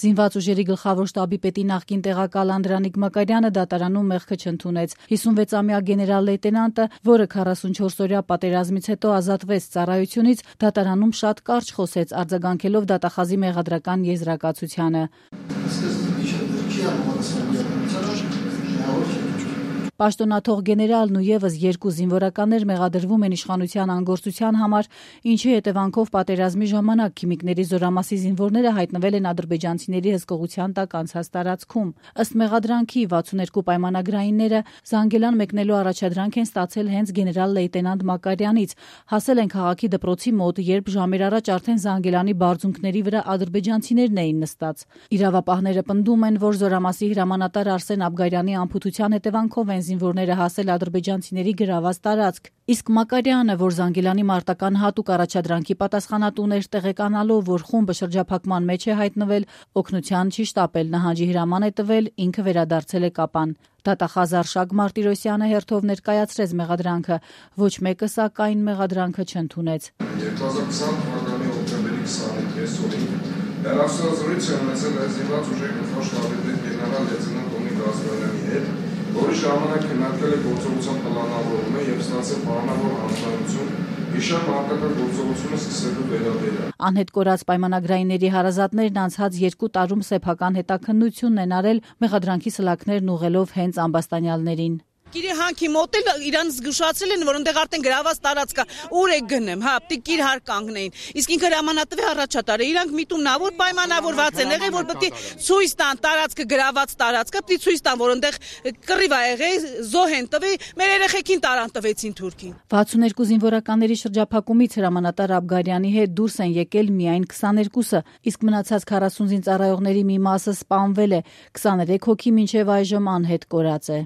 Զինված ուժերի գլխավոր շտաբի պետի նախկին տեղակալ Անդրանիկ Մակարյանը դատարանում մեղքը չընդունեց։ 56-ամյա գեներալ-լեյտենանտը, որը 44-օրյա պատերազմից հետո ազատվեց ծառայությունից, դատարանում շատ կարճ խոսեց, արձագանքելով դատախազի մեղադրական եզրակացությանը։ Պաշտոնաթող գեներալն ու եւս 2 զինվորականներ մեղադրվում են իշխանության անգործության համար, ինչի հետևանքով պատերազմի ժամանակ քիմիկների զորամասի զինվորները հայտնվել են ադրբեջանցիների հսկողության տակ անցած տարածքում։ Ըստ մեղադրանքի 62 պայմանագրայինները Զանգելան մեկնելու առաջադրանք են ստացել հենց գեներալ-լեյտենանտ Մակարյանից, հասել են քաղաքի դպրոցի մոտ, երբ ժամեր առաջ արդեն Զանգելանի բարձունքների վրա ադրբեջանցիներն էին նստած։ Իրավապահները պնդում են, որ զորամասի հրամանատար Արսեն Աբգարյանի անփութության հետևանքով են զինվորները հասել ադրբեջանցիների գրաված տարածք, իսկ Մակարյանը, որ Զանգելանի մարտական հատուկ առաջադրանքի պատասխանատուն էր, տեղեկանալով, որ խումբը շրջափակման մեջ է հայտնվել, օգնության չի շտապել, նահանջի հրաման է տվել, ինքը վերադարձել է Կապան։ Դատախազ Արշակ Մարտիրոսյանը հերթով ներկայացրեց մեղադրանքը, ոչ մեկը սակայն մեղադրանքը չընդունեց։ 2020 թվականի հոկտեմբերի 25-ին հեռախոսազրույց է ունեցել զինված ուժերի գլխավոր շտաբի պետ գեներալ-լեյտենանտ Օմիկ Ազգանյանի հետ, որի ժամանակ քննարկվել է գործողության պլանավորումը եւ ստացել պայմանավոր հանձնարարություն Իշան մարտական գործողությունը սկսելու վերաբերյալ։ Անհետ կորած պայմանագրայինների հարազատներն անցած 2 տարում սեփական հետաքննությունն են արել, մեղադրանքի սլաքներն ուղղելով հենց ամբաստանյալներին։ Կիրի հանքի մոտ էլ իրան զգուշացրել են, որ այնտեղ արդեն գրաված տարածք կա, ուր եք գնեմ, հա, պիտի կիր հար կանգնեին։ Իսկ ինքը հրամանատվի առաջատարը, իրանք միտումնավոր պայմանավորված են եղել, որ պետք է ցույց տան տարածքը գրաված տարածքը, պետք է ցույց տան, որ այնտեղ կռիվ ա եղել, զոհ են տվել, մեր երեխեքին տարան տվեցին թուրքին։ 62 զինվորականների շրջափակումից հրամանատար Աբգարյանի հետ դուրս են եկել միայն 22-ը, իսկ մնացած 40 զինծառայողների մի մասը սպանվել է, 23 հոգի մինչև այժմ անհետ կորած է։